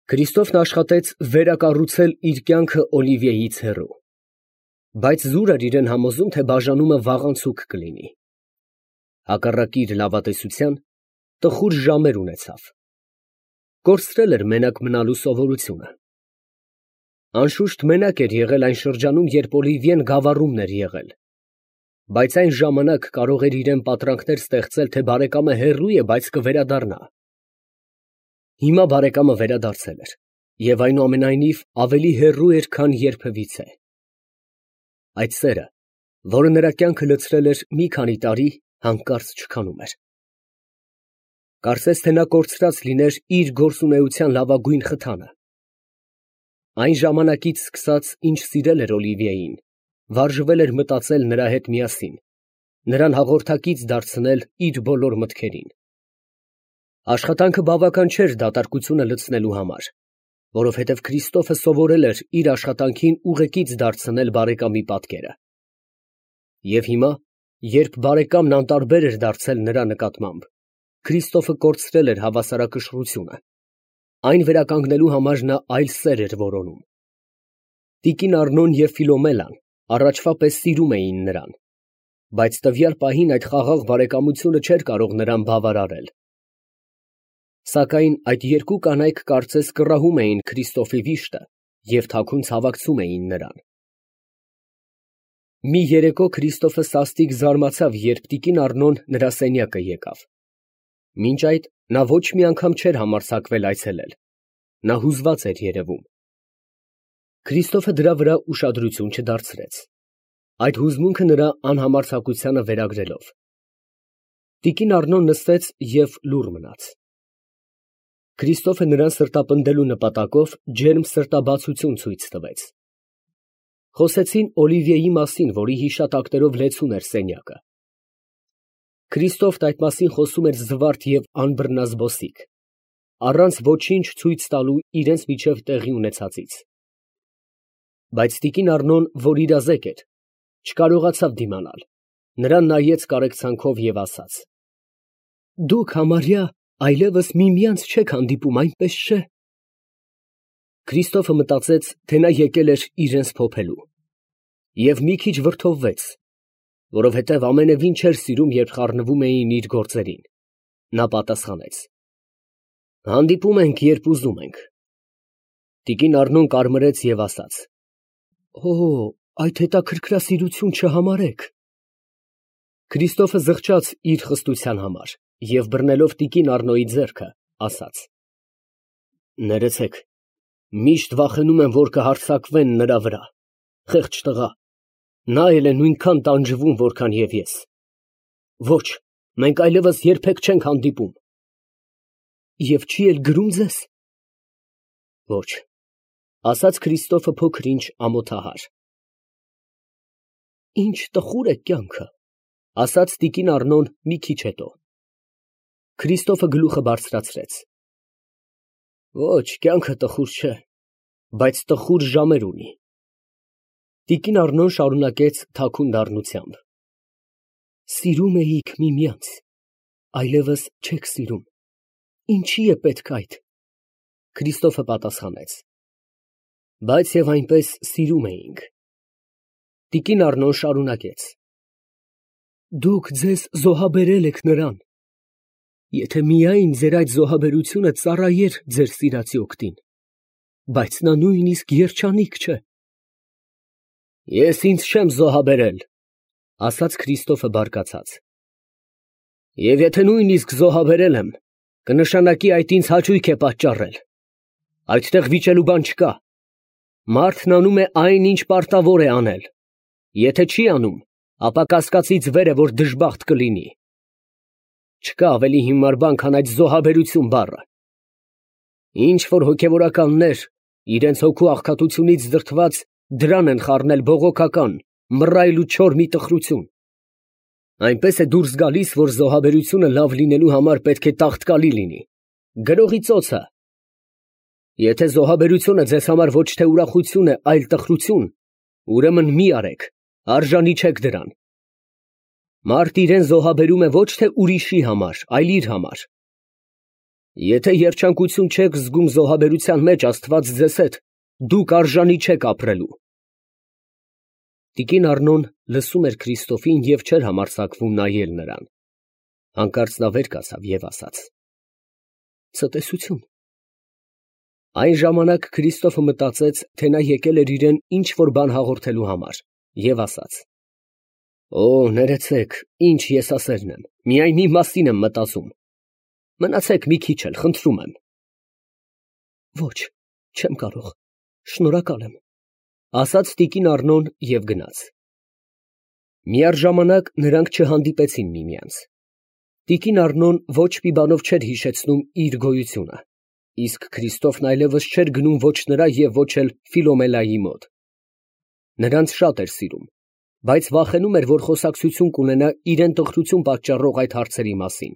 Քրիստոֆն աշխատեց վերակառուցել իր կյանքը Օլիվիեից հեռու, բայց զուր էր իրեն համոզում, թե բաժանումը վաղանցուկ կլինի։ Հակառակ իր լավատեսության, տխուր ժամեր ունեցավ։ Կորցրել էր մենակ մնալու սովորությունը։ Անշուշտ մենակ էր եղել այն շրջանում, երբ Օլիվիեն գավառումն էր եղել, բայց այն ժամանակ կարող էր իրեն պատրանքներ ստեղծել, թե բարեկամը հեռու է, բայց կվերադառնա։ Հիմա բարեկամը վերադարձել էր, և այնուամենայնիվ ավելի հեռու էր, քան երբևիցե։ Այդ սերը, որը նրա կյանքը լցրել էր մի քանի տարի, հանկարծ չքանում էր։ Կարծես թե նա կորցրած լիներ իր գործունեության լավագույն խթանը։ Այն ժամանակից սկսած, ինչ սիրել էր Օլիվիեին, վարժվել էր մտածել նրա հետ միասին, նրան հաղորդակից դարձնել իր բոլոր մտքերին։ Աշխատանքը բավական չէր դատարկությունը լցնելու համար, որովհետև Քրիստոֆը սովորել էր իր աշխատանքին ուղեկից դարձնել բարեկամի պատկերը։ Եվ հիմա, երբ բարեկամն անտարբեր էր դարձել նրա նկատմամբ, Քրիստոֆը կորցրել էր հավասարակշռությունը։ Այն վերականգնելու համար նա այլ սեր էր որոնում։ Տիկին Առնոն և Ֆիլոմելան առաջվա պես սիրում էին նրան, բայց տվյալ պահին այդ խաղաղ բարեկամությունը չէր կարող նրան բավարարել։ Սակայն այդ երկու կանայք կարծես կռահում էին Քրիստոֆի վիշտը և թաքուն ցավակցում էին նրան։ Մի երեկո Քրիստոֆը սաստիկ զարմացավ, երբ տիկին Առնոն նրա սենյակը եկավ։ Մինչ այդ նա ոչ մի անգամ չէր համարձակվել այցելել։ Նա հուզված էր երևում։ Քրիստոֆը դրա վրա ուշադրություն չդարձրեց, այդ հուզմունքը նրա անհամարձակությանը վերագրելով։ Տիկին Առնոն նստեց և լուռ մնաց։ Քրիստոֆը նրան սրտապնդելու նպատակով ջերմ սրտաբացություն ցույց տվեց։ Խոսեցին Օլիվիեի մասին, որի հիշատակներով լեցուն էր սենյակը։ Քրիստոֆն այդ մասին խոսում էր զվարթ և անբռնազբոսիկ, առանց ոչինչ ցույց տալու իրենց միջև տեղի ունեցածից։ Բայց տիկին Առնոն, որ իրազեկ էր, չկարողացավ դիմանալ, նրան նայեց կարեկցանքով և ասաց. «Դուք համարյա այլևս միմյանց չեք հանդիպում, այնպես չէ՞»։ Քրիստոֆը մտածեց, թե նա եկել էր իրենց փոփելու, և մի քիչ վրդովվեց, որովհետև ամենևին չէր սիրում, երբ խառնվում էին իր գործերին։ Նա պատասխանեց. «Հանդիպում ենք, երբ ուզում ենք»։ Տիկին Առնոն կարմրեց և ասաց. «Օ, այդ հետաքրքրասիրություն չհամարեք»։ Քրիստոֆը զղջաց իր խստության համար և բռնելով տիկին Առնոյի ձեռքը, ասաց. «Ներեցեք, միշտ վախենում եմ, որ կհարձակվեն նրա վրա, խեղճ տղա, նա էլ է նույնքան տանջվում, որքան և ես։ Ոչ, մենք այլևս երբեք չենք հանդիպում»։ «Եվ չի էլ գրում ձեզ»։ «Ոչ», ասաց Քրիստոֆը փոքր-ինչ ամոթահար։ «Ինչ տխուր է կյանքը», ասաց տիկին Առնոն մի քիչ հետո։ Քրիստոֆը գլուխը բարձրացրեց։ «Ոչ, կյանքը տխուր չէ, բայց տխուր ժամեր ունի»։ Տիկին Առնոն շարունակեց թաքուն դառնությամբ. «Սիրում էիք միմյանց, այլևս չեք սիրում, ինչի է պետք այդ»։ Քրիստոֆը պատասխանեց. «Բայց և այնպես սիրում էինք»։ Տիկին Առնոն շարունակեց. «Դուք ձեզ զոհաբերել եք նրան, եթե միայն ձեր այդ զոհաբերությունը ծառայեր ձեր սիրածի օգտին, բայց նա նույնիսկ երջանիկ չէ»։ «Ես ինձ չեմ զոհաբերել», ասաց Քրիստոֆը բարկացած։ «Եվ եթե նույնիսկ զոհաբերել եմ, կնշանակի այդ ինձ հաճույք է պատճառել։ Այդտեղ վիճելու բան չկա։ Մարդն անում է այն, ինչ պարտավոր է անել։ Եթե չի անում, ապա կասկածից վեր է, որ դժբախտ կլինի։ Չկա ավելի հիմար բան, քան այդ զոհաբերություն բառը։ Ինչ որ հոգևորականներ, իրենց հոգու աղքատությունից դրդված, դրան են խառնել բողոքական, մռայլ ու չոր մի տխրություն։ Այնպես է դուրս գալիս, որ զոհաբերությունը լավ լինելու համար պետք է տաղտկալի լինի, գրողի ծոցը։ Եթե զոհաբերությունը ձեզ համար ոչ թե ուրախություն է, այլ տխրություն, ուրեմն մի արեք, արժանի չեք դրան։ Մարդ իրեն զոհաբերում է ոչ թե ուրիշի համար, այլ իր համար։ Եթե երջանկություն չեք զգում զոհաբերության մեջ, Աստված ձեզ հետ, դուք արժանի չեք ապրելու։ Տիկին Առնոն լսում էր Քրիստոֆին և չէր համարձակվում նայել նրան։ Հանկարծ նա վեր կացավ և ասաց. «Ցտեսություն»։ Այն ժամանակ Քրիստոֆը մտածեց, թե նա եկել էր իրեն ինչ որ բան հաղորդելու համար, և ասաց. «Օ, ներեցեք, ինչ եսասերն եմ, միայն մի մասին եմ մտածում, մնացեք մի քիչ էլ, խնդրում եմ»։ «Ոչ, չեմ կարող, շնորհակալ եմ», ասաց տիկին Առնոն և գնաց։ Միառժամանակ նրանք չհանդիպեցին միմյանց։ Տիկին Առնոն ոչ մի բանով չէր հիշեցնում իր գոյությունը, իսկ Քրիստոֆն այլևս չէր գնում ոչ նրա և ոչ էլ Ֆիլոմելայի մոտ։ Նրանց շատ էր սիրում, բայց վախենում էր, որ խոսակցություն կունենա իրան տխրություն պատճառող այդ հարցերի մասին։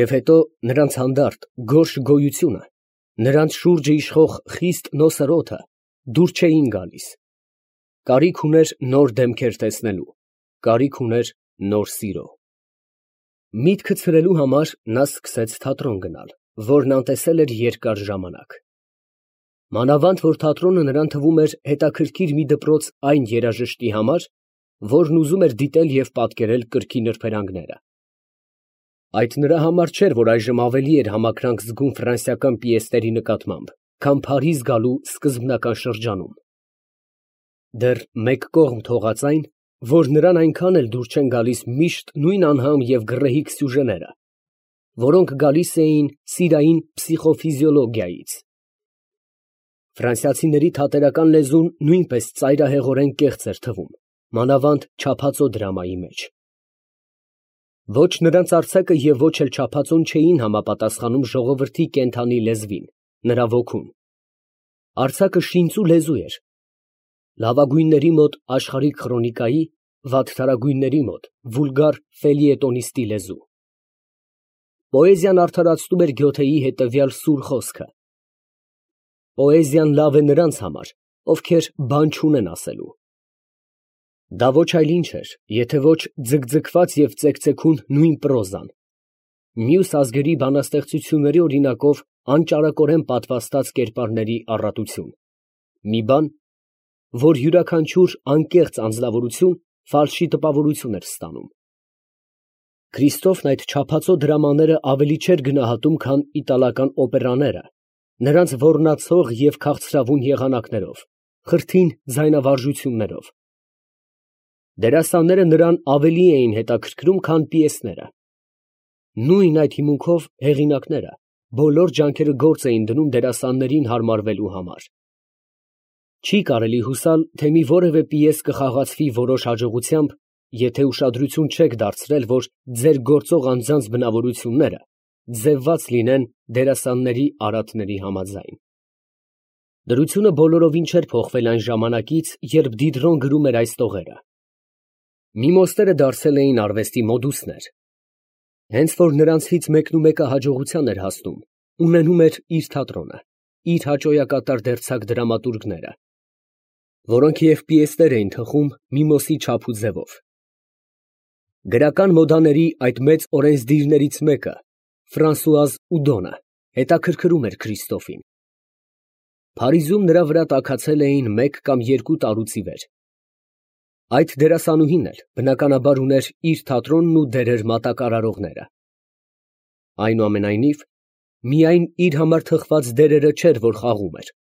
Եվ հետո նրանց հանդարտ, գորշ գոյությունը, նրանց շուրջը իշխող խիստ նոսր օդը դուր չէին գալիս։ Կարիք ուներ նոր դեմքեր տեսնելու, կարիք ուներ նոր սիրո։ Միտքը ցրելու համար նա սկսեց թատրոն գնալ, որն անտեսել էր երկար ժամանակ։ Մանավանդ որ թատրոնը նրան թվում էր հետաքրքիր մի դպրոց այն երաժշտի համար, որն ուզում էր դիտել և պատկերել կրքի նրբերանգները։ Այդ նրա համար չէր, որ այժմ ավելի էր համակրանք զգում ֆրանսիական պիեսների նկատմամբ, քան Փարիզ գալու սկզբնական շրջանում։ Դեռ մեկ կողմ թողած այն, որ նրան այնքան էլ դուր չեն գալիս միշտ նույն անհամ և գռեհիկ սյուժեները, որոնք գալիս էին սիրային փսիխոֆիզիոլոգիայից։ Ֆրանսիացիների թատերական լեզուն նույնպես ծայրահեղորեն կեղծ էր թվում, մանավանդ չափածո դրամայի մեջ։ Ոչ նրանց արձակը և ոչ էլ չափածոն չէին համապատասխանում ժողովրդի կենդանի լեզվին, նրա ոգուն։ Արձակը շինծու լեզու էր, լավագույնների մոտ աշխարհիկ խրոնիկայի, վատթարագույնների մոտ վուլգար ֆելիետոնիստի լեզու։ Պոեզիան արդարացնում էր Գյոթեի հետևյալ սուր խոսքը. «Պոեզիան լավ է նրանց համար, ովքեր բան չունեն ասելու»։ Դա ոչ այլ ինչ էր, եթե ոչ ձգձգված և ծեկծեկուն նույն պրոզան, մյուս ազգերի բանաստեղծությունների օրինակով անճարակորեն պատվաստած կերպարների առատություն, մի բան, որ յուրաքանչյուր անկեղծ անձնավորություն ֆալշի տպավորություն էր ստանում։ Քրիստոֆն այդ չափածո դրամաները ավելի չէր գնահատում, քան իտալական օպերաները, նրանց ոռնացող և քաղցրավուն եղանակներով, խրթին ձայնավարժություններով։ Դերասանները նրան ավելի էին հետաքրքրում, քան պիեսները։ Նույն այդ հիմունքով հեղինակները բոլոր ջանքերը գործ էին դնում դերասաններին հարմարվելու համար։ Չի կարելի հուսալ, թե մի որևէ պիես կխաղացվի որոշ հաջողությամբ, եթե ուշադրություն չեք դարձրել, որ ձեր գործող անձանց բնավորությունները ձևված լինեն դերասանների արատների համաձայն։ Դրությունը բոլորովին չէր փոխվել այն ժամանակից, երբ Դիդրոն գրում էր այս տողերը։ Միմոստերը դարձել էին արվեստի մոդուսներ։ Հենց որ նրանցից մեկնումեկը հաջողության էր հասնում, ունենում էր իր թատրոնը, իր հաճոյակատար դերձակ դրամատուրգները, որոնք և պիեսներ էին թխում Միմոսի չափ ու ձևով։ Գրական մոդաների այդ մեծ օրենսդիրներից մեկը, Ֆրանսուազ Ուդոնը, հետաքրքրում էր Քրիստոֆին։ Փարիզում նրա վրա տաքացել էին 1 կամ 2 տարուց ի վեր։ Այդ դերասանուհին էլ, բնականաբար, ուներ իր թատրոնն ու դերեր մատակարարողները։ Այնուամենայնիվ, միայն իր համար թխված դերերը չէր, որ խաղում էր։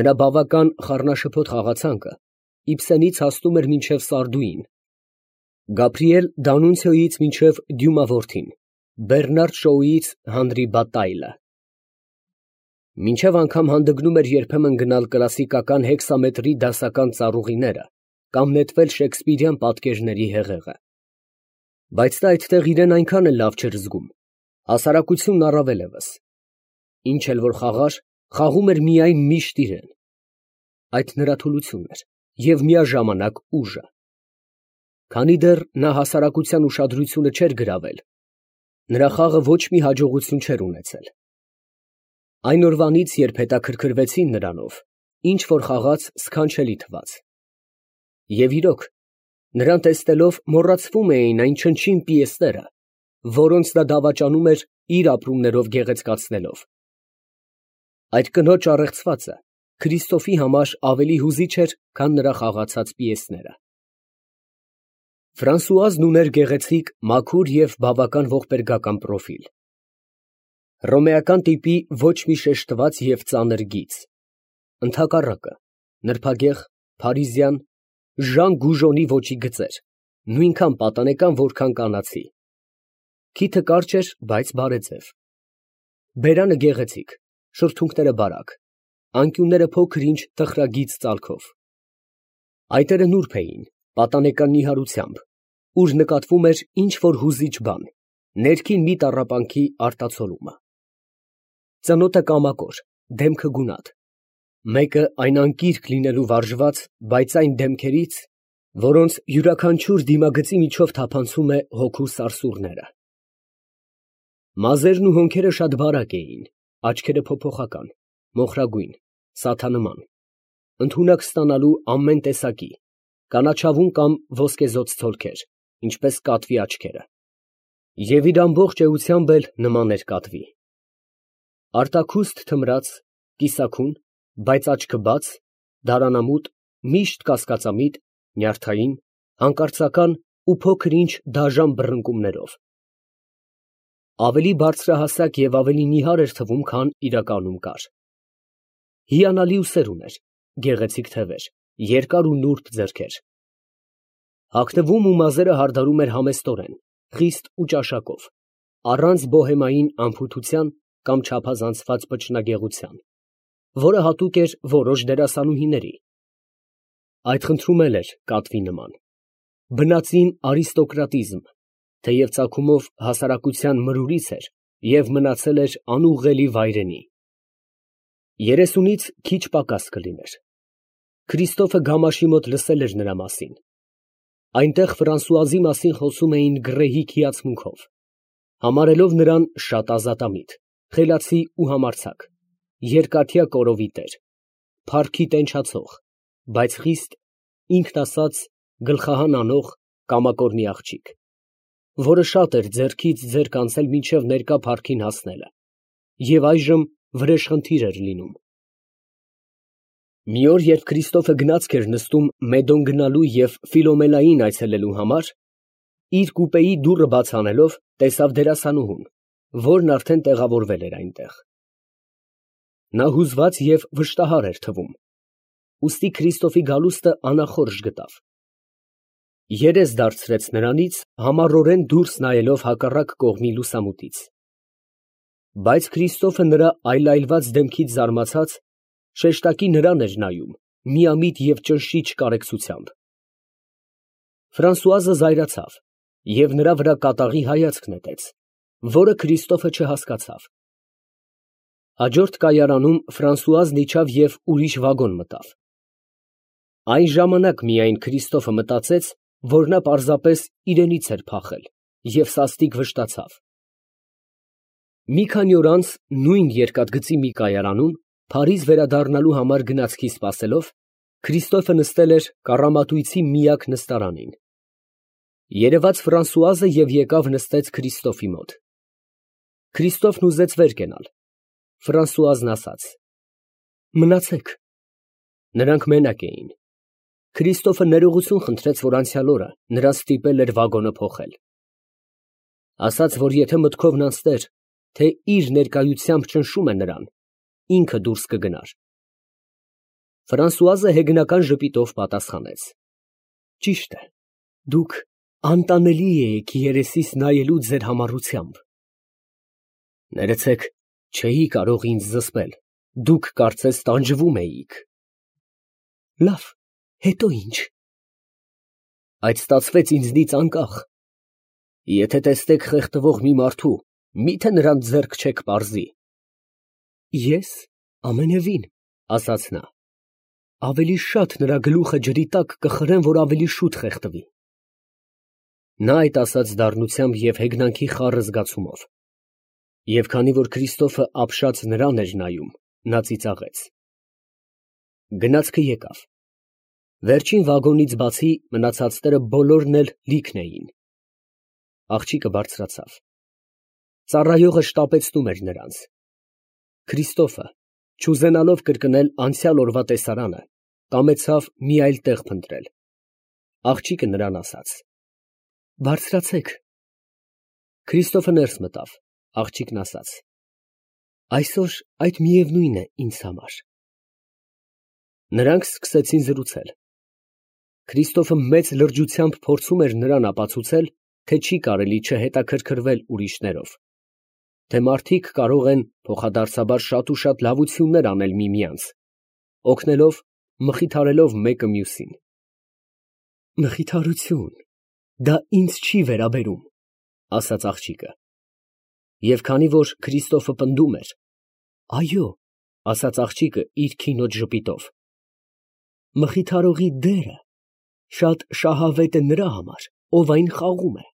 Նրա բավական խառնաշփոթ խաղացանկը Իբսենից հասնում էր մինչև Սարդուին, Գաբրիել Դանունցիոյից մինչև Դյումա որդին, Բեռնարդ Շոուից Հանրի Բատայլը։ Մինչև անգամ հանդգնում էր երբեմն գնալ կլասիկական հեքսամետրի դասական ծառուղիները կամ նետվել շեքսպիրյան պատկերների հեղեղը։ Բայց նա այդտեղ իրեն այնքան էլ լավ չէր զգում, հասարակությունն առավել ևս։ Ինչ էլ որ խաղար, խաղում էր միայն միշտ իրեն։ Այդ նրա թուլությունն էր և միաժամանակ ուժը։ Քանի դեռ նա հասարակության ուշադրությունը չէր գրավել, նրա խաղը ոչ մի հաջողություն չէր ունեցել։ Այն օրվանից, երբ հետաքրքրվեցին նրանով, ինչ որ խաղաց սքանչելի թվաց։ Եվ իրոք, նրան տեսնելով մոռացվում էին այն չնչին պիեսները, որոնց նա դավաճանում էր իր ապրումներով գեղեցկացնելով։ Այդ կնոջ առեղծվածը Քրիստոֆի համար ավելի հուզիչ էր, քան նրա խաղացած պիեսները։ Ֆրանսուազն ուներ գեղեցիկ, մաքուր և բավական ողբերգական պրոֆիլ։ Հռոմեական տիպի ոչ մի շեշտված և ծանր գիծ, ընդհակառակը, նրբագեղ, փարիզյան, Ժան Գուժոնի ոճի գծեր, նույնքան պատանեկան, որքան կանացի։ Քիթը կարճ էր, բայց բարեձև։ Բերանը գեղեցիկ, շրթունքները բարակ, անկյունները փոքր-ինչ տխրագիծ ծալքով։ Այտերը նուրբ էին, պատանեկան նիհարությամբ, ուր նկատվում էր ինչ֊որ հուզիչ բան, ներքին մի տառապանքի արտացոլումը։ Ծնոտը կամակոր, դեմքը գունատ, մեկը այն անկիրք լինելու վարժված, բայց այն դեմքերից, որոնց յուրաքանչյուր դիմագծի միջով թափանցում է հոգու սարսուռները։ Մազերն ու հոնքերը շատ բարակ էին, աչքերը փոփոխական, մոխրագույն, սաթանման, ընդունակ ստանալու ամեն տեսակի, կանաչավուն կամ ոսկեզօծ ցոլքեր, ինչպես կատվի աչքերը, և իր ամբողջ էությամբ էլ նման էր կատվի։ Արտաքուստ թմրած, կիսաքուն, բայց աչքը բաց, դարանամուտ, միշտ կասկածամիտ, նյարդային, հանկարծական ու փոքր֊ինչ դաժան բռնկումներով։ Ավելի բարձրահասակ և ավելի նիհար էր թվում, քան իրականում կար։ Հիանալի ուսեր ուներ, գեղեցիկ թևեր, երկար ու նուրբ ձեռքեր։ Հագնվում ու մազերը հարդարում էր համեստորեն, խիստ ու ճաշակով, առանց բոհեմային անփութության կամ չափազանցված վճռագեղության, որը հատուկ էր որոշ դերասանուհիների։ Այդ խնդրում էլ էր կատվի նման։ Բնածին արիստոկրատիզմ, թեև ծագումով հասարակության մրուրից էր և մնացել էր անուղղելի վայրենի։ 30-ից քիչ պակաս կլիներ։ Քրիստոֆը գամաշի մոտ լսել էր նրա մասին։ Այնտեղ Ֆրանսուազի մասին խոսում էին գռեհիկ հիացմունքով, համարելով նրան շատ ազատամիտ, խելացի ու համարձակ, երկաթյա կորովի տեր, փառքի տենչացող, բայց խիստ, ինքն ասած, գլխահան անող, կամակոր մի աղջիկ, որը շատ էր ձեռքից ձեռք անցել մինչև ներկա փառքին հասնելը, և այժմ վրեժխնդիր էր լինում։ Մի օր, երբ Քրիստոֆը գնացք էր նստում Մեդոն գնալու և Ֆիլոմելային այցելելու համար, իր կուպեի դուռը բաց անելով, տեսավ դերասանուհուն, որն արդեն տեղավորվել էր այնտեղ։ Նա հուզված և վշտահար էր թվում, ուստի Քրիստոֆի գալուստը անախորժ գտավ։ Երես դարձրեց նրանից, համառորեն դուրս նայելով հակառակ կողմի լուսամուտից։ Բայց Քրիստոֆը նրա այլայլված դեմքից զարմացած, շեշտակի նրան էր նայում, միամիտ և ճնշիչ կարեկցությամբ։ Ֆրանսուազը զայրացավ և նրա վրա կատաղի հայացք նետեց, որը Քրիստոֆը չհասկացավ։ Հաջորդ կայարանում Ֆրանսուազն իջավ և ուրիշ վագոն մտավ։ Այն ժամանակ միայն Քրիստոֆը մտածեց, որ նա պարզապես իրենից էր փախել և սաստիկ վշտացավ։ Մի քանի օր անց նույն երկաթգծի մի կայարանում, Փարիզ վերադառնալու համար գնացքի սպասելով, Քրիստոֆը նստել էր կառամատույցի միակ նստարանին։ Երևաց Ֆրանսուազը և եկավ նստեց Քրիստոֆի մոտ։ Քրիստոֆն ուզեց վեր կենալ։ Ֆրանսուազն ասաց. «Մնացեք»։ Նրանք մենակ էին։ Քրիստոֆը ներողություն խնդրեց, որ անցյալ օրը նրան ստիպել էր վագոնը փոխել։ Ասաց, որ եթե մտքովն անցներ, թե իր ներկայությամբ ճնշում է նրան, ինքը դուրս կգնար։ Ֆրանսուազը հեգնական ժպիտով պատասխանեց. «Ճիշտ է, դուք անտանելի էիք երեսիս նայելու ձեր համառությամբ»։ Ներեցեք, չէի կարող ինձ զսպել, դուք կարծես տանջվում էիք։ Լավ, հետո ի՞նչ։ Այդ ստացվեց ինձնից անկախ։ Եթե տեսնեք խեղդվող մի մարդու, մի՞թե նրան ձեռք չեք պարզի։ Ես ամենևին, ասաց նա, ավելի շատ նրա գլուխը ջրի տակ կխրեմ, որ ավելի շուտ խեղդվի։ Նա այդ ասաց դառնությամբ և հեգնանքի խառը զգացումով, և քանի որ Քրիստոֆը ապշած նրան էր նայում, նա ծիծաղեց։ Գնացքը եկավ։ Վերջին վագոնից բացի մնացածները բոլորն էլ լիքն էին։ Աղջիկը բարձրացավ։ Ծառայողը շտապեցնում էր նրանց։ Քրիստոֆը, չուզենալով կրկնել անցյալ օրվա տեսարանը, կամեցավ մի այլ տեղ փնտրել։ Աղջիկը նրան ասաց. «Բարձրացեք»։ Քրիստոֆը ներս մտավ, աղջիկն ասաց. «Այսօր այդ միևնույն է ինձ համար»։ Նրանք սկսեցին զրուցել։ Քրիստոֆը մեծ լրջությամբ փորձում էր նրան ապացուցել, թե չի կարելի չհետաքրքրվել ուրիշներով, թե մարդիկ կարող են փոխադարձաբար շատ ու շատ լավություններ անել միմյանց, օգնելով, մխիթարելով մեկը մյուսին։ «Մխիթարություն, դա ինձ չի վերաբերում», ասաց աղջիկը։ Եվ քանի որ Քրիստոֆը պնդում էր, «Այո», ասաց աղջիկը իր քինոջ ժպիտով, «մխիթարողի դերը շատ շահավետ է նրա համար, ով այն խաղում է»։